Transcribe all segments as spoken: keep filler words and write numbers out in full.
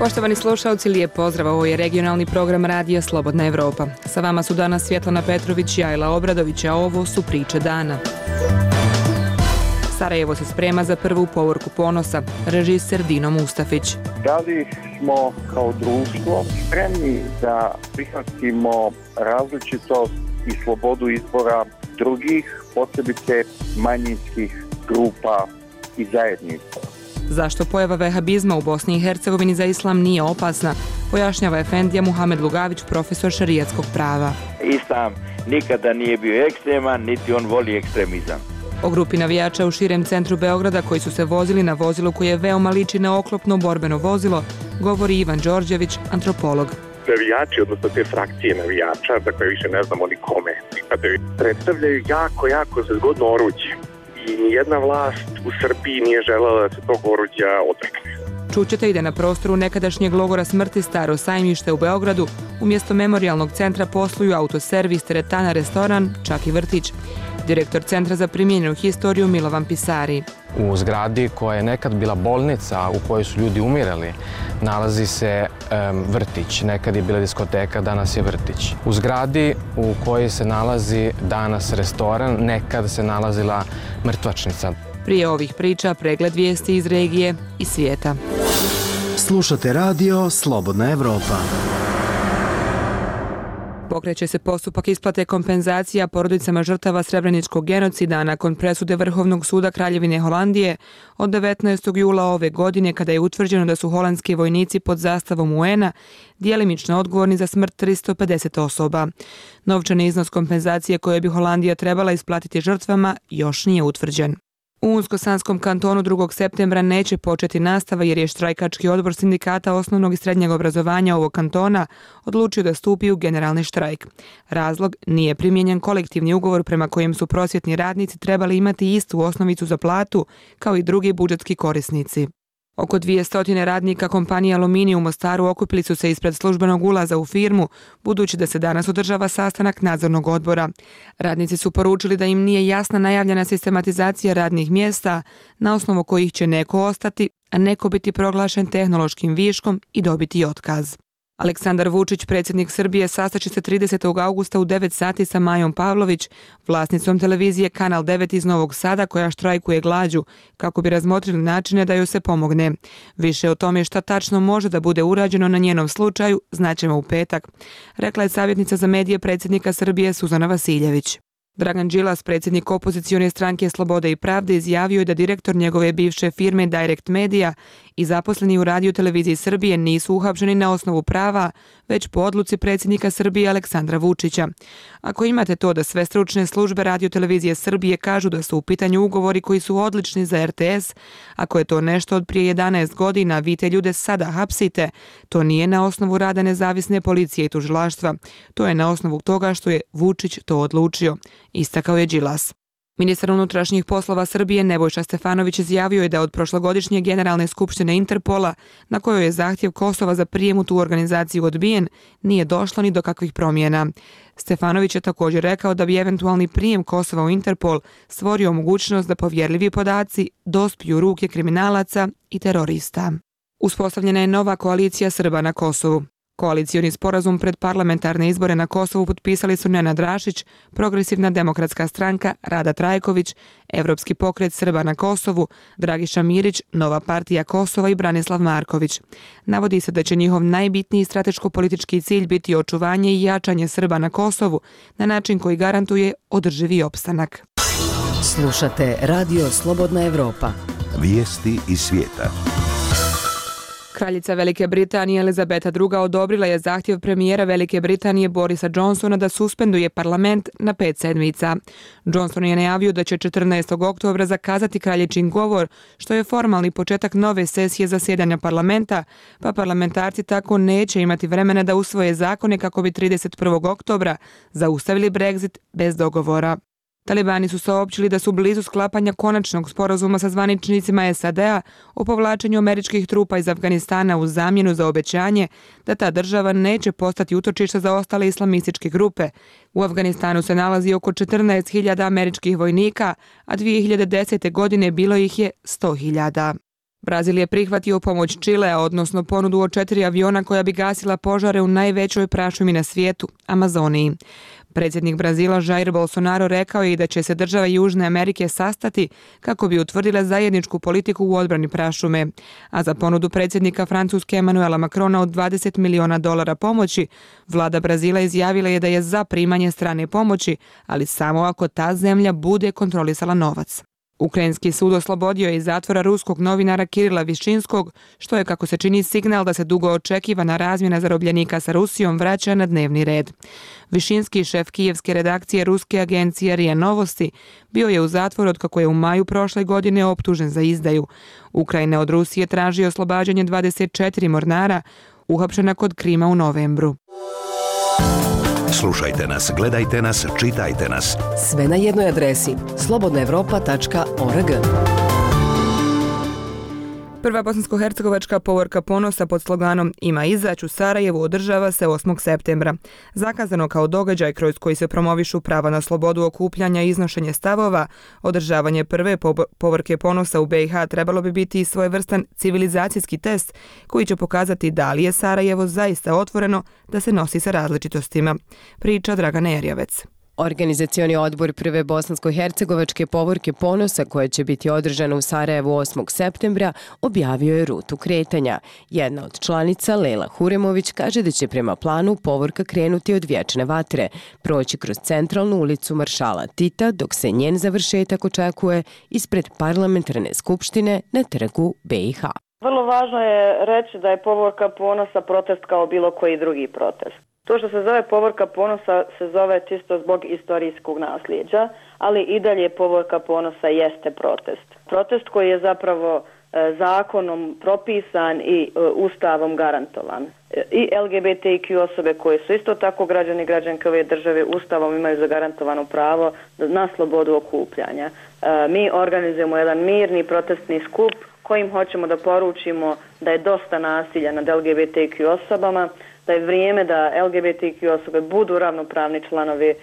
Poštovani slušalci, lijep pozdrav, ovo je regionalni program radija Slobodna Evropa. Sa vama su danas Svjetlana Petrović i Ajla Obradović, a ovo su priče dana. Sarajevo se sprema za prvu povorku ponosa, režiser Dino Mustafić. Da li smo kao društvo spremni da prihvatimo različitost i slobodu izbora drugih, posebice manjinskih grupa i zajednica? Zašto pojava vehabizma u Bosni i Hercegovini za islam nije opasna, pojašnjava efendija Muhamed Lugavić, profesor šerijatskog prava. Islam nikada nije bio ekstreman, niti on voli ekstremizam. O grupi navijača u širem centru Beograda koji su se vozili na vozilu koje veoma liči na oklopno borbeno vozilo, govori Ivan Đorđević, antropolog. Navijači, odnosno te frakcije navijača, dakle više ne znamo ni kome pripadaju, predstavljaju jako, jako zgodno oruđe. I nijedna vlast u Srbiji nije želela da se tog oruđa odrekne. Čućete ide na prostoru nekadašnjeg logora smrti Staro sajmište u Beogradu. Umjesto memorijalnog centra posluju autoservis, teretana, restoran, čak i vrtić. Direktor Centra za primijenjenu historiju Milovan Pisari. U zgradi koja je nekad bila bolnica u kojoj su ljudi umirali, nalazi se um, vrtić. Nekad je bila diskoteka, danas je vrtić. U zgradi u kojoj se nalazi danas restoran, nekad se nalazila mrtvačnica. Prije ovih priča pregled vijesti iz regije i svijeta. Slušate radio Slobodna Evropa. Pokreće se postupak isplate kompenzacija porodicama žrtava Srebreničkog genocida nakon presude Vrhovnog suda Kraljevine Holandije od devetnaestog jula ove godine, kada je utvrđeno da su holandski vojnici pod zastavom U N-a djelimično odgovorni za smrt tristo pedeset osoba. Novčani iznos kompenzacije koje bi Holandija trebala isplatiti žrtvama još nije utvrđen. U Unsko-Sanskom kantonu drugog septembra neće početi nastava jer je štrajkački odbor sindikata osnovnog i srednjeg obrazovanja ovog kantona odlučio da stupi u generalni štrajk. Razlog: nije primijenjen kolektivni ugovor prema kojem su prosvjetni radnici trebali imati istu osnovicu za platu kao i drugi budžetski korisnici. Oko dvjesto radnika kompanije Aluminij u Mostaru okupili su se ispred službenog ulaza u firmu, budući da se danas održava sastanak nadzornog odbora. Radnici su poručili da im nije jasna najavljena sistematizacija radnih mjesta, na osnovu kojih će neko ostati, a neko biti proglašen tehnološkim viškom i dobiti otkaz. Aleksandar Vučić, predsjednik Srbije, sastaće se tridesetog augusta u devet sati sa Majom Pavlović, vlasnicom televizije Kanal devet iz Novog Sada, koja štrajkuje glađu, kako bi razmotrili načine da joj se pomogne. Više o tome šta tačno može da bude urađeno na njenom slučaju znaćemo u petak, rekla je savjetnica za medije predsjednika Srbije Suzana Vasiljević. Dragan Đilas, predsjednik opozicione stranke Slobode i pravde, izjavio je da direktor njegove bivše firme Direct Media i zaposleni u Radio televiziji Srbije nisu uhapšeni na osnovu prava, već po odluci predsjednika Srbije Aleksandra Vučića. Ako imate to da sve stručne službe Radio televizije Srbije kažu da su u pitanju ugovori koji su odlični za R T S, ako je to nešto od prije jedanaest godina, vi te ljude sada hapsite, to nije na osnovu rada nezavisne policije i tužilaštva. To je na osnovu toga što je Vučić to odlučio, istakao je Đilas. Ministar unutrašnjih poslova Srbije Nebojša Stefanović izjavio je da od prošlogodišnje generalne skupštine Interpola, na kojoj je zahtjev Kosova za prijem u tu organizaciju odbijen, nije došlo ni do kakvih promjena. Stefanović je također rekao da bi eventualni prijem Kosova u Interpol stvorio mogućnost da povjerljivi podaci dospiju u ruke kriminalaca i terorista. Uspostavljena je nova koalicija Srba na Kosovu. Koalicioni sporazum pred parlamentarne izbore na Kosovu potpisali su Nenad Rašić, Progresivna demokratska stranka, Rada Trajković, Evropski pokret Srba na Kosovu, Dragiša Mirić, Nova partija Kosova i Branislav Marković. Navodi se da će njihov najbitniji strateško-politički cilj biti očuvanje i jačanje Srba na Kosovu na način koji garantuje održivi opstanak. Slušate radio Slobodna Evropa. Vijesti iz svijeta. Kraljica Velike Britanije Elizabeta druga odobrila je zahtjev premijera Velike Britanije Borisa Johnsona da suspenduje parlament na pet sedmica. Johnson je najavio da će četrnaestog oktobra zakazati kraljičin govor, što je formalni početak nove sesije zasjedanja parlamenta, pa parlamentarci tako neće imati vremena da usvoje zakone kako bi trideset prvog oktobra zaustavili Brexit bez dogovora. Talibani su saopćili da su blizu sklapanja konačnog sporazuma sa zvaničnicima S A D-a o povlačenju američkih trupa iz Afganistana u zamjenu za obećanje da ta država neće postati utočište za ostale islamističke grupe. U Afganistanu se nalazi oko četrnaest hiljada američkih vojnika, a dvije hiljade desete. godine bilo ih je sto hiljada. Brazil je prihvatio pomoć Čilea, odnosno ponudu od četiri aviona koja bi gasila požare u najvećoj prašumi na svijetu, Amazoniji. Predsjednik Brazila Jair Bolsonaro rekao je i da će se države Južne Amerike sastati kako bi utvrdile zajedničku politiku u odbrani prašume. A za ponudu predsjednika Francuske Emmanuela Macrona od dvadeset miliona dolara pomoći, vlada Brazila izjavila je da je za primanje strane pomoći, ali samo ako ta zemlja bude kontrolisala novac. Ukrajinski sud oslobodio je iz zatvora ruskog novinara Kirila Višinskog, što je, kako se čini, signal da se dugo očekivana razmjena zarobljenika sa Rusijom vraća na dnevni red. Višinski, šef kijevske redakcije ruske agencije R I A Novosti, bio je u zatvoru od kako je u maju prošle godine optužen za izdaju. Ukrajina od Rusije traži oslobađanje dvadeset četiri mornara, uhapšena kod Krima u novembru. Slušajte nas, gledajte nas, čitajte nas. Sve na jednoj adresi slobodna evropa tačka org. Prva bosansko-hercegovačka povorka ponosa pod sloganom Ima izać u Sarajevu održava se osmog septembra. Zakazano kao događaj kroz koji se promovišu prava na slobodu okupljanja i iznošenje stavova, održavanje prve povorke ponosa u B i H trebalo bi biti i svojevrstan civilizacijski test koji će pokazati da li je Sarajevo zaista otvoreno da se nosi sa različitostima. Priča Dragana Erjavec. Organizacioni odbor prve bosansko-hercegovačke povorke ponosa koja će biti održana u Sarajevu osmog septembra objavio je rutu kretanja. Jedna od članica, Lela Huremović, kaže da će prema planu povorka krenuti od Vječne vatre, proći kroz centralnu ulicu Maršala Tita, dok se njen završetak očekuje ispred parlamentarne skupštine na trgu B i H. Vrlo važno je reći da je povorka ponosa protest kao bilo koji drugi protest. To što se zove povorka ponosa se zove čisto zbog istorijskog nasljeđa, ali i dalje povorka ponosa jeste protest. Protest koji je zapravo e, zakonom propisan i e, ustavom garantovan. E, I L G B T Q osobe koje su isto tako građani i građanke ove države ustavom imaju zagarantovano pravo na slobodu okupljanja. E, mi organizujemo jedan mirni protestni skup kojim hoćemo da poručimo da je dosta nasilja nad L G B T Q osobama, da je vrijeme da L G B T Q osobe budu ravnopravni članovi e,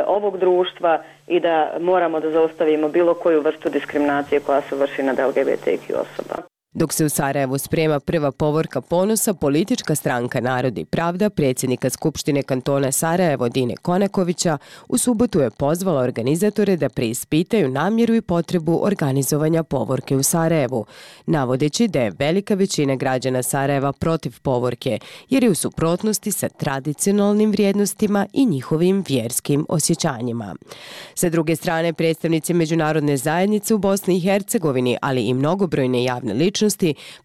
ovog društva i da moramo da zaustavimo bilo koju vrstu diskriminacije koja se vrši nad L G B T Q osoba. Dok se u Sarajevu sprema prva povorka ponosa, politička stranka Narod i pravda predsjednika Skupštine kantona Sarajevo Dine Konakovića u subotu je pozvala organizatore da preispitaju namjeru i potrebu organizovanja povorke u Sarajevu, navodeći da je velika većina građana Sarajeva protiv povorke, jer je u suprotnosti sa tradicionalnim vrijednostima i njihovim vjerskim osjećanjima. Sa druge strane, predstavnici međunarodne zajednice u Bosni i Hercegovini, ali i mnogobrojne javne ličnosti,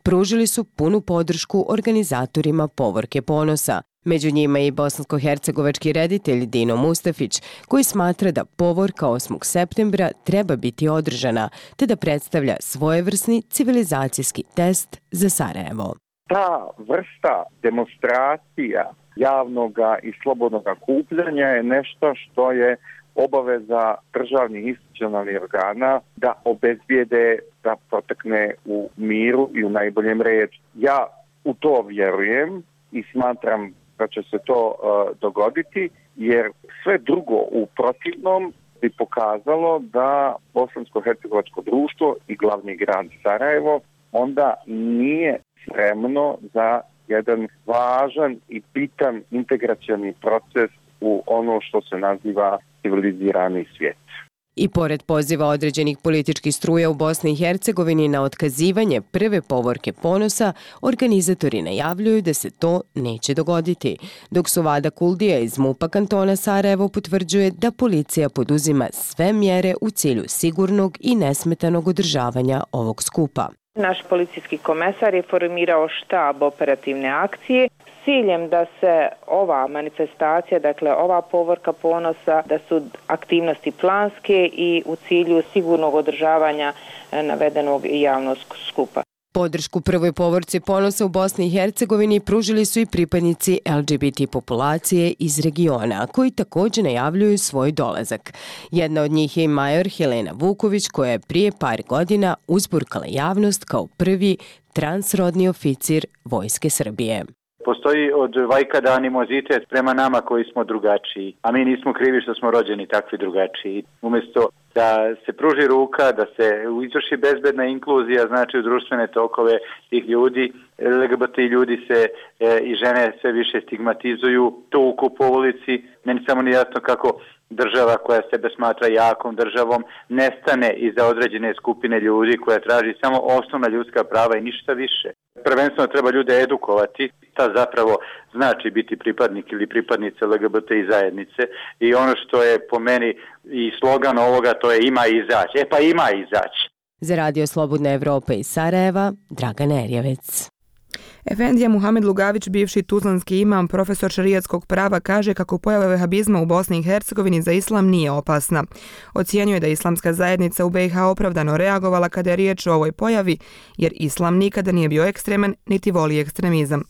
pružili su punu podršku organizatorima povorke ponosa. Među njima je i bosansko-hercegovački reditelj Dino Mustafić, koji smatra da povorka osmog septembra treba biti održana, te da predstavlja svojevrsni civilizacijski test za Sarajevo. Ta vrsta demonstracija javnog i slobodnog okupljanja je nešto što je obaveza državnih institucionalnih organa da obezbijede da protekne u miru i u najboljem redu. Ja u to vjerujem i smatram da će se to uh, dogoditi, jer sve drugo u protivnom bi pokazalo da bosansko-hercegovačko društvo i glavni grad Sarajevo onda nije spremno za jedan važan i bitan integracioni proces u ono što se naziva civilizirani svijet. I pored poziva određenih političkih struja u Bosni i Hercegovini na otkazivanje prve povorke ponosa, organizatori najavljuju da se to neće dogoditi, dok su Vada Kuldija iz MUP-a kantona Sarajevo potvrđuje da policija poduzima sve mjere u cilju sigurnog i nesmetanog održavanja ovog skupa. Naš policijski komesar je formirao štab operativne akcije s ciljem da se ova manifestacija, dakle ova povorka ponosa, da su aktivnosti planske i u cilju sigurnog održavanja navedenog javnog skupa. Podršku prvoj povorci ponosa u Bosni i Hercegovini pružili su i pripadnici L G B T populacije iz regiona, koji također najavljuju svoj dolazak. Jedna od njih je i major Helena Vuković, koja je prije par godina uzburkala javnost kao prvi transrodni oficir Vojske Srbije. Postoji od vajkada animozitet prema nama koji smo drugačiji, a mi nismo krivi što smo rođeni takvi drugačiji. Umjesto da se pruži ruka, da se izvrši bezbedna inkluzija, znači u društvene tokove tih ljudi, L G B T ljudi se e, i žene sve više stigmatizuju, tuku po ulici. Meni samo nije jasno kako država koja sebe smatra jakom državom nestane iza određene skupine ljudi koja traži samo osnovna ljudska prava i ništa više. Prvenstveno treba ljude edukovati, šta zapravo znači biti pripadnik ili pripadnica L G B T zajednice i ono što je po meni i slogan ovoga, to je ima izaći. E pa ima izaći. Za Radio Slobodna Evropa iz Sarajeva, Dragan Erjevec. Efendija Muhamed Lugavić, bivši tuzlanski imam, profesor šerijatskog prava, kaže kako pojava vehabizma u Bosni i Hercegovini za islam nije opasna. Ocijenjuje da islamska zajednica u B i H opravdano reagovala kada je riječ o ovoj pojavi, jer islam nikada nije bio ekstreman, niti voli ekstremizam.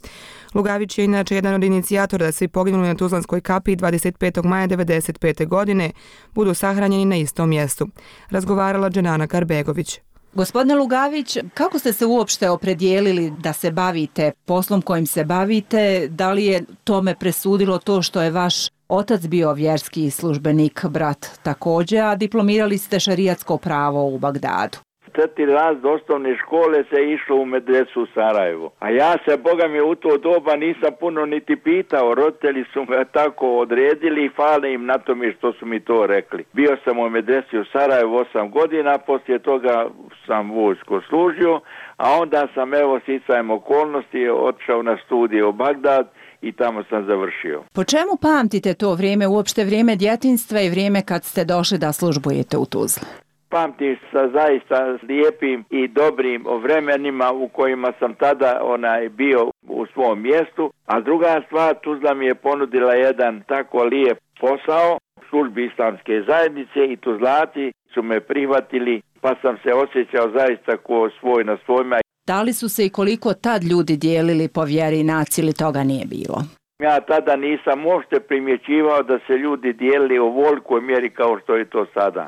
Lugavić je inače jedan od inicijatora da svi poginuli na Tuzlanskoj kapiji dvadeset petog maja devedeset pete. godine budu sahranjeni na istom mjestu. Razgovarala Dženana Karbegović. Gospodine Lugavić, kako ste se uopšte opredijelili da se bavite poslom kojim se bavite? Da li je tome presudilo to što je vaš otac bio vjerski službenik, brat također, a diplomirali ste šerijatsko pravo u Bagdadu? Četiri razred osnovne škole se išlo u medresu u Sarajevu. A ja se, Boga mi, u to doba nisam puno niti pitao. Roditelji su me tako odredili i hvala im na tome što su mi to rekli. Bio sam u medresi u Sarajevu osam godina, poslije toga sam vojsku služio, a onda sam, evo, sticajem okolnosti otišao na studije u Bagdad i tamo sam završio. Po čemu pamtite to vrijeme, uopšte vrijeme djetinjstva i vrijeme kad ste došli da službujete u Tuzli? Pamtim sa zaista lijepim i dobrim vremenima u kojima sam tada onaj bio u svom mjestu, a druga stvar, Tuzla mi je ponudila jedan tako lijep posao u službi islamske zajednice i Tuzlati su me prihvatili, pa sam se osjećao zaista ko svoj na svojima. Da li su se i koliko tad ljudi dijelili po vjeri i naciji ili toga nije bilo? Ja tada nisam uopšte primjećivao da se ljudi dijelili u ovolikoj mjeri kao što je to sada.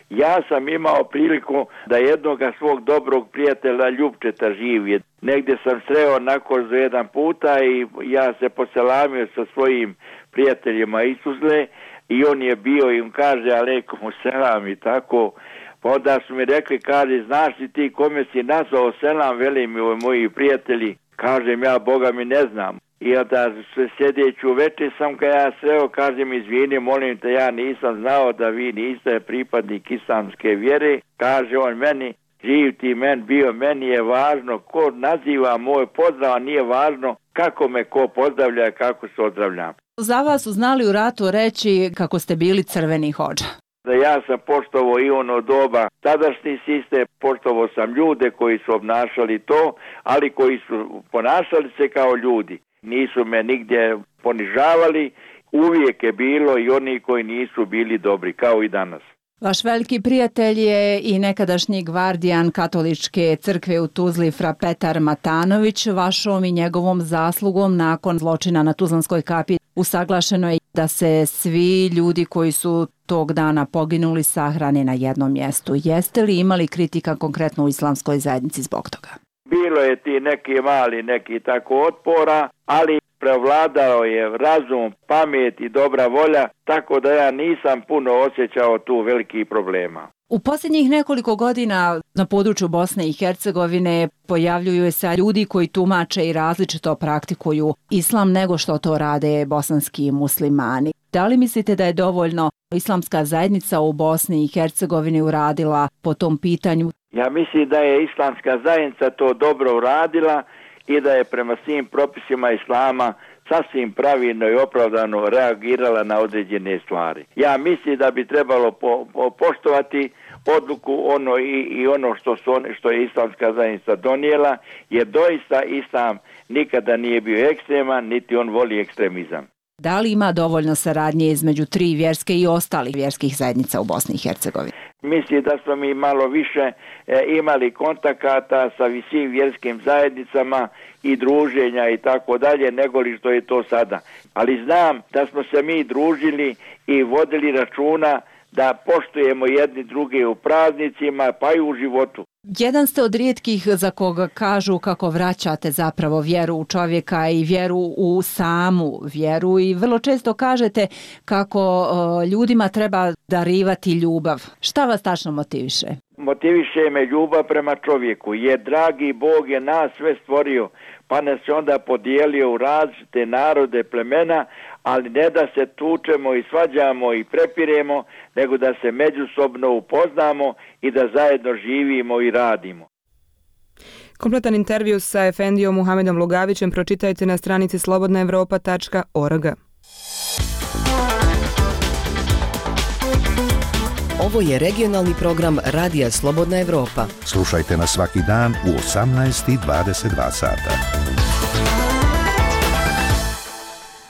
Ja sam imao priliku da jednoga svog dobrog prijatelja Ljupčeta živije. Negdje sam sreo na kozu jedan puta i ja se poselamio sa svojim prijateljima iz Tuzle i on je bio i on kaže alejkum selam i tako. Pa onda su mi rekli, kaže, znaš li ti kome si nazvao selam, veli mi moji prijatelji. Kažem ja, Boga mi ne znam. I onda sjedeću večer sam ga ja sreo, kažem izvini, molim te, ja nisam znao da vi niste pripadnik islamske vjere. Kaže on meni, živ ti men bio, meni je važno ko naziva moj pozdrav, a nije važno kako me ko pozdravlja, kako se ozdravljam. Za vas su znali u ratu reći kako ste bili crveni hodža. Da ja sam poštovao i ono doba tadašnji sistem, poštovao sam ljude koji su obnašali to, ali koji su ponašali se kao ljudi. Nisu me nigdje ponižavali, uvijek je bilo i oni koji nisu bili dobri, kao i danas. Vaš veliki prijatelj je i nekadašnji gvardijan katoličke crkve u Tuzli fra Petar Matanović. Vašom i njegovom zaslugom nakon zločina na Tuzlanskoj kapiji usaglašeno je da se svi ljudi koji su tog dana poginuli sahrane na jednom mjestu. Jeste li imali kritika konkretno u islamskoj zajednici zbog toga? Bilo je ti neki mali, neki tako otpora, ali prevladao je razum, pamet i dobra volja, tako da ja nisam puno osjećao tu velikih problema. U posljednjih nekoliko godina na području Bosne i Hercegovine pojavljuju se ljudi koji tumače i različito praktikuju islam nego što to rade bosanski muslimani. Da li mislite da je dovoljno islamska zajednica u Bosni i Hercegovini uradila po tom pitanju? Ja mislim da je islamska zajednica to dobro uradila i da je prema svim propisima islama sasvim pravilno i opravdano reagirala na određene stvari. Ja mislim da bi trebalo po, po, poštovati odluku ono i, i ono što, su, što je islamska zajednica donijela, jer doista islam nikada nije bio ekstreman, niti on voli ekstremizam. Da li ima dovoljno saradnje između tri vjerske i ostalih vjerskih zajednica u Bosni i Hercegovini? Mislim da smo mi malo više e, imali kontakata sa svim vjerskim zajednicama i druženja i tako dalje, nego li što je to sada. Ali znam da smo se mi družili i vodili računa da poštujemo jedni druge u praznicima pa i u životu. Jedan ste od rijetkih za koga kažu kako vraćate zapravo vjeru u čovjeka i vjeru u samu vjeru i vrlo često kažete kako o, ljudima treba darivati ljubav. Šta vas tačno motiviše? Motiviše me ljubav prema čovjeku, jer dragi Bog je nas sve stvorio, pa nas je onda podijelio u različite narode, plemena, ali ne da se tučemo i svađamo i prepiremo, nego da se međusobno upoznamo i da zajedno živimo i radimo. Kompletan intervju sa efendijom Muhamedom Lugavićem pročitajte na stranici slobodna evropa tačka org. Ovo je regionalni program Radija Slobodna Evropa. Slušajte nas svaki dan u osamnaest i dvadeset dva sata.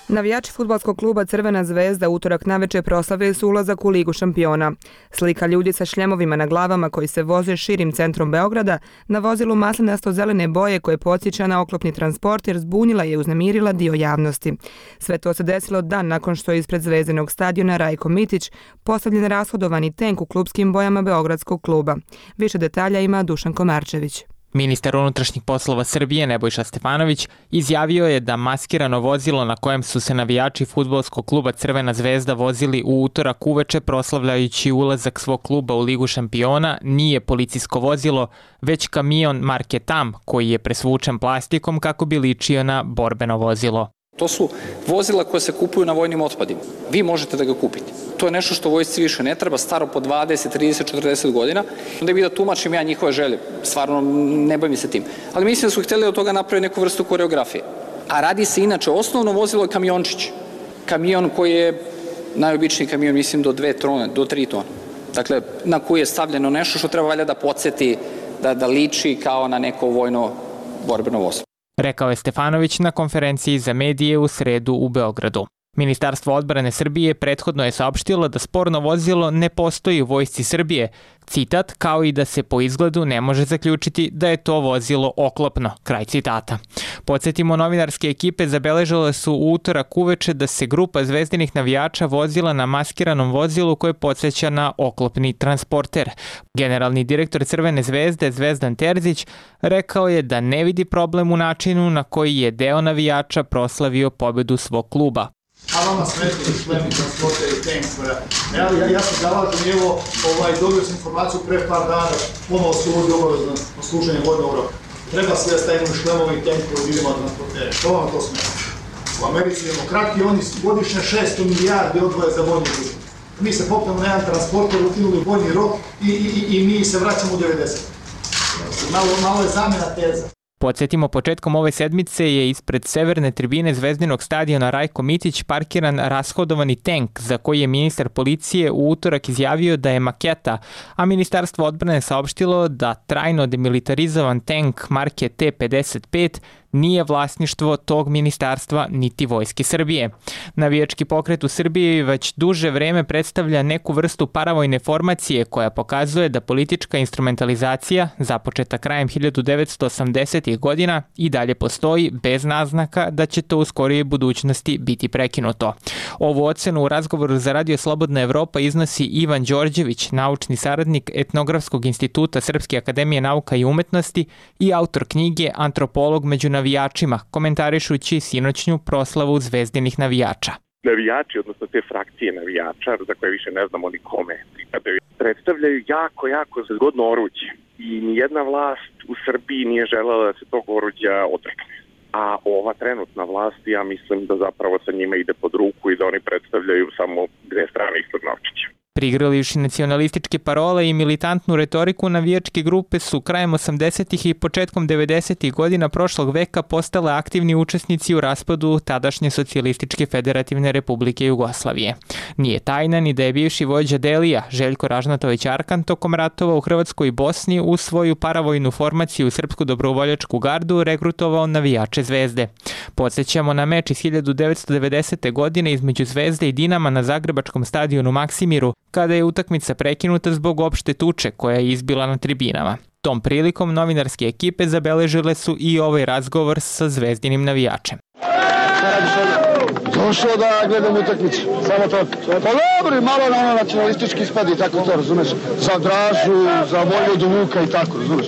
Navijači fudbalskog kluba Crvena zvezda utorak navečer proslavili su ulazak u Ligu šampiona. Slika ljudi sa šljemovima na glavama koji se voze širim centrom Beograda na vozilu maslinasto-zelene boje koje podsjeća na oklopni transporter zbunila je i uznemirila dio javnosti. Sve to se desilo dan nakon što je ispred zvezdinog stadiona Rajko Mitić postavljen rashodovani tenk u klubskim bojama Beogradskog kluba. Više detalja ima Dušan Komarčević. Ministar unutrašnjih poslova Srbije Nebojša Stefanović izjavio je da maskirano vozilo na kojem su se navijači fudbalskog kluba Crvena zvezda vozili u utorak uveče proslavljajući ulazak svog kluba u Ligu šampiona nije policijsko vozilo, već kamion marke Tam koji je presvučen plastikom kako bi ličio na borbeno vozilo. To su vozila koje se kupuju na vojnim otpadima. Vi možete da ga kupite. To je nešto što vojsci više ne treba, staro po dvadeset, trideset, četrdeset godina. Onda bi da tumačim ja njihove želje. Stvarno ne bavim se tim. Ali mislim da su htjeli od toga napraviti neku vrstu koreografije. A radi se inače, osnovno vozilo je kamiončić. Kamion koji je najobičniji kamion, mislim, do dve tone, do tri tone. Dakle, na koji je stavljeno nešto što treba valjda da podsjeti, da, da liči kao na neko vojno borbeno vozilo. Rekao je Stefanović na konferenciji za medije u sredu u Beogradu. Ministarstvo odbrane Srbije prethodno je saopštilo da sporno vozilo ne postoji u vojsci Srbije, citat, kao i da se po izgledu ne može zaključiti da je to vozilo oklopno, kraj citata. Podsjetimo, novinarske ekipe zabeležile su u utorak uveče da se grupa zvezdinih navijača vozila na maskiranom vozilu koje podsjeća na oklopni transporter. Generalni direktor Crvene zvezde Zvezdan Terzić rekao je da ne vidi problem u načinu na koji je deo navijača proslavio pobedu svog kluba. A vama smetili šlemi, transporter i tank. Ja, ja, ja se zalažem i evo, ovaj, dobio sam informaciju pre par dana, ponovo se uvodi obavezno na služenje vojnog roka. Treba sve da stavimo šlemove i tank koji idemo na transportere. Što vam to smeta? U Americi demokrati, oni godišnje šesto milijardi odvoje za vojni rok. Mi se popnemo na jedan transporter, ukinuli vojni rok i, i, i mi se vraćamo u devedeset. Malo, malo je zamena teza. Podsjetimo, početkom ove sedmice je ispred severne tribine zvezdinog stadiona Rajko Mitić parkiran rashodovani tank za koji je ministar policije u utorak izjavio da je maketa, a Ministarstvo odbrane saopštilo da trajno demilitarizovan tank marke T pedeset pet nije vlasništvo tog ministarstva niti Vojske Srbije. Navijački pokret u Srbiji već duže vreme predstavlja neku vrstu paravojne formacije koja pokazuje da politička instrumentalizacija, započeta krajem hiljadu devetsto osamdesetih godina, i dalje postoji bez naznaka da će to u skorijoj budućnosti biti prekinuto. Ovu ocenu u razgovoru za Radio Slobodna Evropa iznosi Ivan Đorđević, naučni saradnik Etnografskog instituta Srpske akademije nauka i umetnosti i autor knjige Antropolog među navijačima, komentarišući sinoćnju proslavu zvezdinih navijača. Navijači, odnosno te frakcije navijača, za koje više ne znamo ni kome pripadaju, predstavljaju jako, jako zgodno oruđe. I nijedna vlast u Srbiji nije želela da se tog oruđa odrekne. A ova trenutna vlast, ja mislim da zapravo sa njima ide pod ruku i da oni predstavljaju samo dve strane istog novčića. Prigrlivši nacionalističke parole i militantnu retoriku, navijačke grupe su krajem osamdesetih i početkom devedesetih godina prošlog veka postale aktivni učesnici u raspadu tadašnje Socijalističke federativne republike Jugoslavije. Nije tajna ni da je bivši vođa Delija, Željko Ražnatović Arkan, tokom ratova u Hrvatskoj i Bosni u svoju paravojnu formaciju Srpsku dobrovoljačku gardu regrutovao navijače Zvezde. Podsjećamo na meč iz hiljadu devetsto devedesete. godine između Zvezde i Dinama na zagrebačkom stadionu Maksimiru, kada je utakmica prekinuta zbog opšte tuče koja je izbila na tribinama. Tom prilikom novinarske ekipe zabeležile su i ovaj razgovor sa zvezdinim navijačem. Šta radiš ovdje? Došao da gledam utakmicu, samo to. Pa dobro, malo na ono nacionalistički ispadi, tako to, razumeš? Za Dražu, za Vojvodu Vuka i tako, razumeš?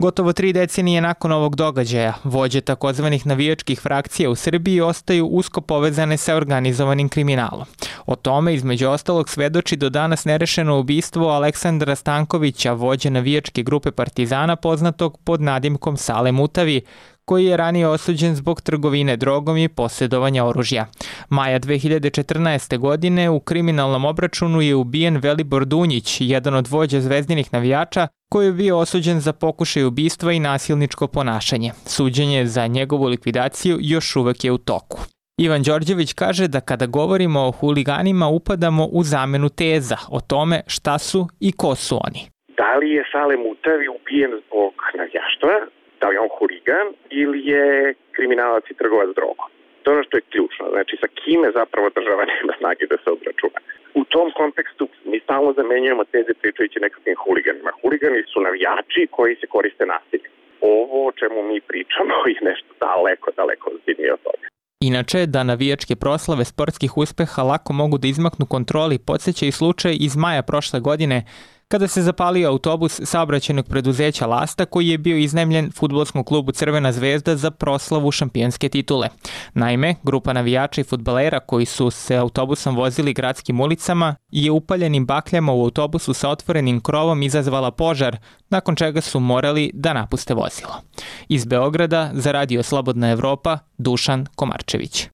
Gotovo tri decenije nakon ovog događaja, vođe takozvanih navijačkih frakcija u Srbiji ostaju usko povezane sa organizovanim kriminalom. O tome, između ostalog, svedoči do danas nerešeno ubistvo Aleksandra Stankovića, vođe navijačke grupe Partizana, poznatog pod nadimkom Sale Mutavi, koji je ranije osuđen zbog trgovine drogom i posjedovanja oružja. Maja dve hiljade četrnaeste. godine u kriminalnom obračunu je ubijen Velibor Dunjić, jedan od vođa zvezdinih navijača, koji je bio osuđen za pokušaj ubistva i nasilničko ponašanje. Suđenje za njegovu likvidaciju još uvek je u toku. Ivan Đorđević kaže da kada govorimo o huliganima upadamo u zamenu teza o tome šta su i ko su oni. Da li je Sale Mutavi ubijen zbog navijaštva? Da li je on huligan ili je kriminalac i trgovac drogom? To je ono što je ključno. Znači, sa kime zapravo država nema snage da se obračuna. U tom kontekstu mi stalno zamenjujemo teze pričajući nekakvim huliganima. Huligani su navijači koji se koriste nasiljem. Ovo o čemu mi pričamo je nešto daleko, daleko ozbiljnije od toga. Inače, da navijačke proslave sportskih uspeha lako mogu da izmaknu kontroli, podsjeća i slučaj iz maja prošle godine, kada se zapalio autobus saobraćajnog preduzeća Lasta koji je bio iznajmljen fudbalskom klubu Crvena zvezda za proslavu šampionske titule. Naime, grupa navijača i fudbalera koji su se autobusom vozili gradskim ulicama je upaljenim bakljama u autobusu sa otvorenim krovom izazvala požar, nakon čega su morali da napuste vozilo. Iz Beograda za Radio Slobodna Evropa, Dušan Komarčević.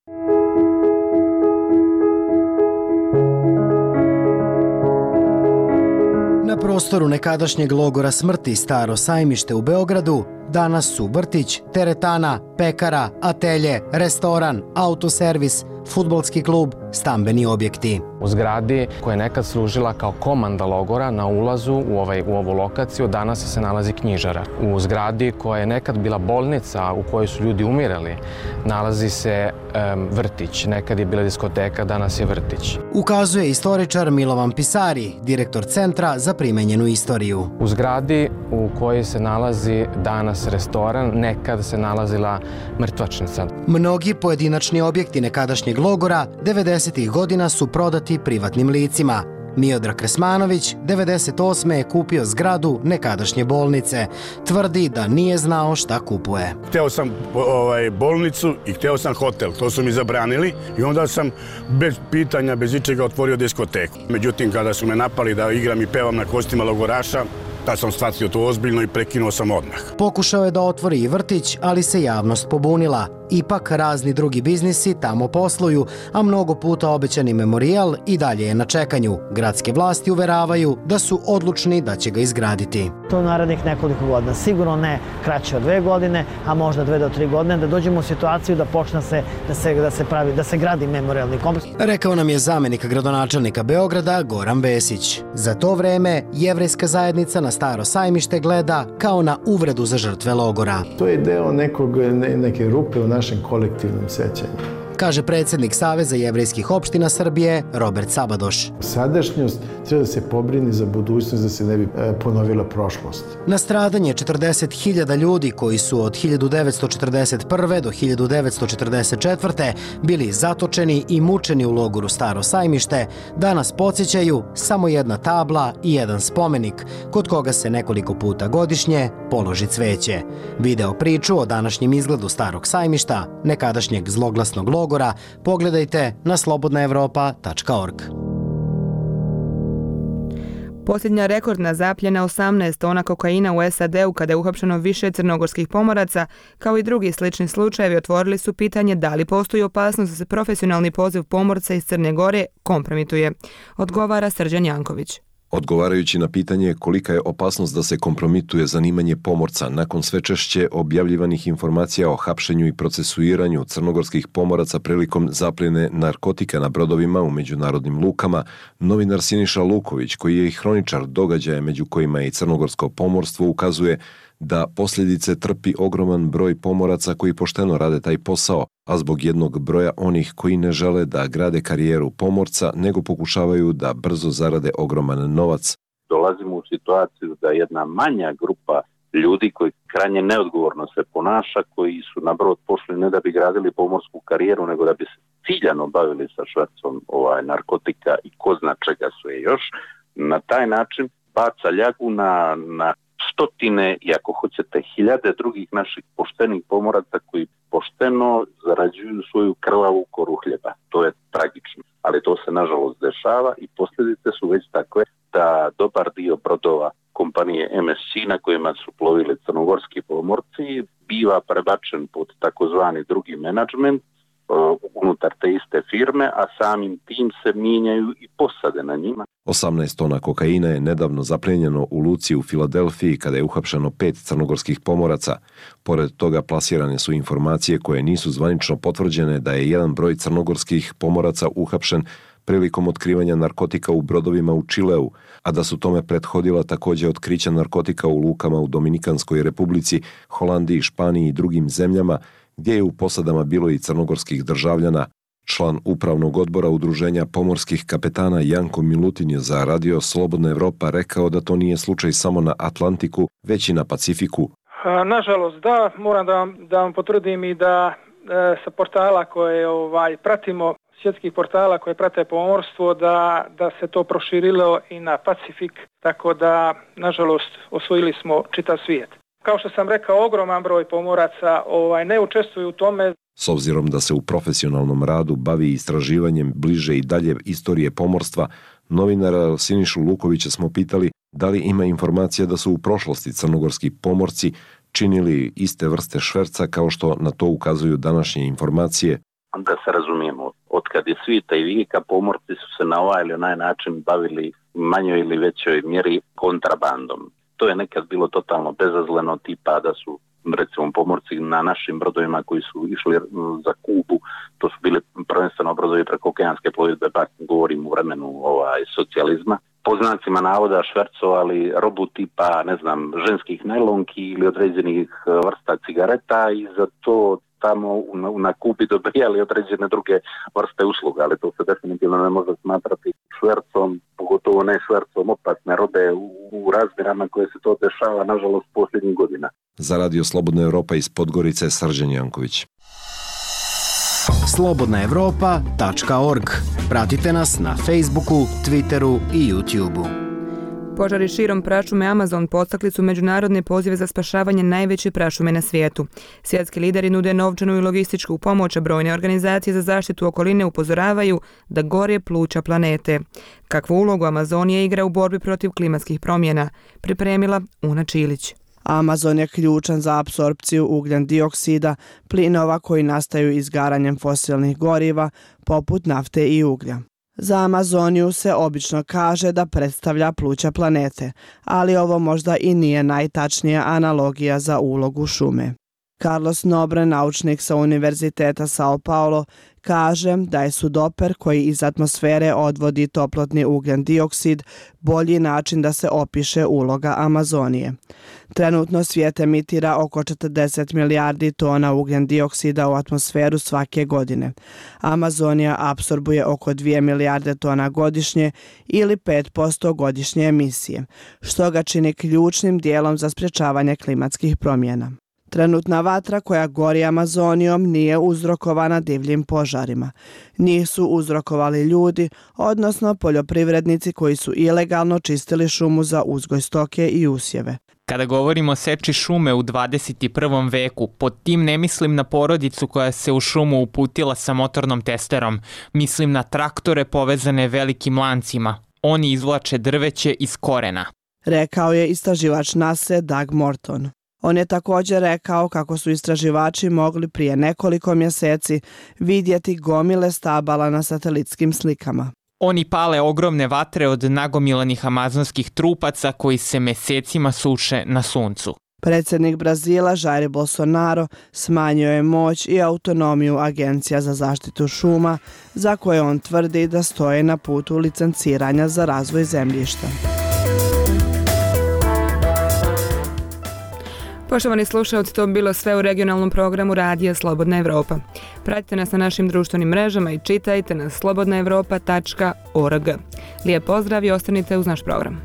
Na prostoru nekadašnjeg logora smrti Staro Sajmište u Beogradu danas su vrtić, teretana, pekara, atelje, restoran, autoservis, fudbalski klub, stambeni objekti. U zgradi koja je nekad služila kao komanda logora na ulazu u, ovaj, u ovu lokaciju danas se nalazi knjižara. U zgradi koja je nekad bila bolnica u kojoj su ljudi umirali nalazi se um, vrtić. Nekad je bila diskoteka, danas je vrtić. Ukazuje istoričar Milovan Pisari, direktor Centra za primenjenu istoriju. U zgradi u kojoj se nalazi danas restoran, nekad se nalazila mrtvačnica. Mnogi pojedinačni objekti nekadašnjeg logora devedesetih godina su prodati privatnim licima. Miodrag Kresmanović devedeset osme je kupio zgradu nekadašnje bolnice. Tvrdi da nije znao šta kupuje. Hteo sam ovaj, bolnicu i hteo sam hotel. To su mi zabranili i onda sam bez pitanja, bez ičega otvorio diskoteku. Međutim, kada su me napali da igram i pevam na kostima logoraša, tad sam shvatio to ozbiljno i prekinuo sam odmah. Pokušao je da otvori i vrtić, ali se javnost pobunila. Ipak razni drugi biznisi tamo posluju, a mnogo puta obećani memorijal i dalje je na čekanju. Gradske vlasti uveravaju da su odlučni da će ga izgraditi. To narednih nekoliko godina, sigurno ne kraće od dve godine, a možda dve do tri godine, da dođemo u situaciju da počne se, da se, da se pravi, da se gradi memorijalni kompleks. Rekao nam je zamenik gradonačelnika Beograda Goran Vesić. Za to vreme jevrejska zajednica na Staro Sajmište gleda kao na uvredu za žrtve logora. To je deo nekog, ne, neke rupe u našem kolektivnom sećanju, kaže predsjednik Saveza jevrejskih opština Srbije Robert Sabadoš. Sadašnjost treba da se pobrini za budućnost, da se ne bi ponovila prošlost. Na stradanje četrdeset hiljada ljudi koji su od hiljadu devetsto četrdeset prve do hiljadu devetsto četrdeset četvrte bili zatočeni i mučeni u logoru Staro Sajmište, danas podsjećaju samo jedna tabla i jedan spomenik, kod koga se nekoliko puta godišnje položi cveće. Video priču o današnjem izgledu Starog Sajmišta, nekadašnjeg zloglasnog logora, pogledajte na slobodna evropa tačka org. Posljednja rekordna zapljena osamnaest tona kokaina u S A D-u kada je uhapšeno više crnogorskih pomoraca, kao i drugi slični slučajevi, otvorili su pitanje da li postoji opasnost da se profesionalni poziv pomorca iz Crne Gore kompromituje. Odgovara Srđan Janković. Odgovarajući na pitanje kolika je opasnost da se kompromituje zanimanje pomorca nakon sve češće objavljivanih informacija o hapšenju i procesuiranju crnogorskih pomoraca prilikom zapljene narkotika na brodovima u međunarodnim lukama, novinar Siniša Luković, koji je i hroničar događaja među kojima je i crnogorsko pomorstvo, ukazuje da posljedice trpi ogroman broj pomoraca koji pošteno rade taj posao, a zbog jednog broja onih koji ne žele da grade karijeru pomorca, nego pokušavaju da brzo zarade ogroman novac. Dolazimo u situaciju da jedna manja grupa ljudi koji krajnje neodgovorno se ponaša, koji su na brod pošli ne da bi gradili pomorsku karijeru, nego da bi ciljano bavili sa švercom ovaj, narkotika i ko zna čega sve još, na taj način baca ljagu na, na stotine i ako hoćete hiljade drugih naših poštenih pomoraca koji pošteno zarađuju svoju krvavu koru hljeba. To je tragično, ali to se nažalost dešava i posljedice su već takve da dobar dio brodova kompanije M S C na kojima su plovili crnogorski pomorci biva prebačen pod takozvani drugi menadžment unutar te iste firme, a samim tim se mijenjaju i posade na njima. osamnaest tona kokaina je nedavno zaplijenjeno u luci u Filadelfiji kada je uhapšeno pet crnogorskih pomoraca. Pored toga plasirane su informacije koje nisu zvanično potvrđene da je jedan broj crnogorskih pomoraca uhapšen prilikom otkrivanja narkotika u brodovima u Čileu, a da su tome prethodila također otkrića narkotika u lukama u Dominikanskoj republici, Holandiji, Španiji i drugim zemljama, gdje je u posadama bilo i crnogorskih državljana. Član upravnog odbora Udruženja pomorskih kapetana Janko Milutin je za Radio Slobodna Evropa rekao da to nije slučaj samo na Atlantiku, već i na Pacifiku. Nažalost, da, moram da vam, da vam potvrdim i da e, sa portala koje ovaj, pratimo, svjetskih portala koje prate pomorstvo, da, da se to proširilo i na Pacifik, tako da, nažalost, osvojili smo čitav svijet. Kao što sam rekao, ogroman broj pomoraca ovaj, ne učestvuju u tome. S obzirom da se u profesionalnom radu bavi istraživanjem bliže i dalje istorije pomorstva, novinara Sinišu Lukovića smo pitali da li ima informacija da su u prošlosti crnogorski pomorci činili iste vrste šverca kao što na to ukazuju današnje informacije. Da se razumijemo, otkad je svijeta i vijeka, pomorci su se na ovaj ili onaj način bavili manjoj ili većoj mjeri kontrabandom. To je nekad bilo totalno bezazleno, tipa da su recimo pomorci na našim brodovima koji su išli za Kubu, to su bili prvenstveno brodovi prekookeanske plovidbe, pa govorim u vremenu ovaj, socijalizma. Po znacima navoda švercovali robu tipa, ne znam, ženskih najlonki ili određenih vrsta cigareta i za to tamo na Kubi dobijali određene druge vrste usluga, ali to se definitivno ne može smatrati švercom, pogotovo ne švercom opasne robe u, u razmjerama koje se to dešava, nažalost, posljednjih godina. Za Radio Slobodna Evropa iz Podgorice, Srđan Janković. slobodna evropa tačka org. Pratite nas na Facebooku, Twitteru i YouTubeu. Požari širom prašume Amazon podstakli su međunarodne pozive za spašavanje najveće prašume na svijetu. Svjetski lideri nude novčanu i logističku pomoć, a brojne organizacije za zaštitu okoline upozoravaju da gore pluća planete. Kakvu ulogu Amazonija igra u borbi protiv klimatskih promjena, pripremila Una Čilić. Amazon je ključan za apsorpciju ugljen dioksida, plinova koji nastaju izgaranjem fosilnih goriva, poput nafte i uglja. Za Amazoniju se obično kaže da predstavlja pluća planete, ali ovo možda i nije najtačnija analogija za ulogu šume. Carlos Nobre, naučnik sa Univerziteta Sao Paulo, kaže da je sudoper koji iz atmosfere odvodi toplotni ugljen dioksid bolji način da se opiše uloga Amazonije. Trenutno svijet emitira oko četrdeset milijardi tona ugljen dioksida u atmosferu svake godine. Amazonija apsorbuje oko dvije milijarde tona godišnje ili pet posto godišnje emisije, što ga čini ključnim dijelom za sprječavanje klimatskih promjena. Trenutna vatra koja gori Amazonijom nije uzrokovana divljim požarima. Njih su uzrokovali ljudi, odnosno poljoprivrednici koji su ilegalno čistili šumu za uzgoj stoke i usjeve. Kada govorimo o seči šume u dvadeset prvom veku, pod tim ne mislim na porodicu koja se u šumu uputila sa motornom testerom. Mislim na traktore povezane velikim lancima. Oni izvlače drveće iz korena. Rekao je istraživač nase Doug Morton. On je također rekao kako su istraživači mogli prije nekoliko mjeseci vidjeti gomile stabala na satelitskim slikama. Oni pale ogromne vatre od nagomilanih amazonskih trupaca koji se mesecima suše na suncu. Predsjednik Brazila Jair Bolsonaro smanjio je moć i autonomiju Agencija za zaštitu šuma, za koje on tvrdi da stoje na putu licenciranja za razvoj zemljišta. Poštovani slušalci, to bi bilo sve u regionalnom programu Radija Slobodna Evropa. Pratite nas na našim društvenim mrežama i čitajte na slobodna evropa tačka org. Lijep pozdrav i ostanite uz naš program.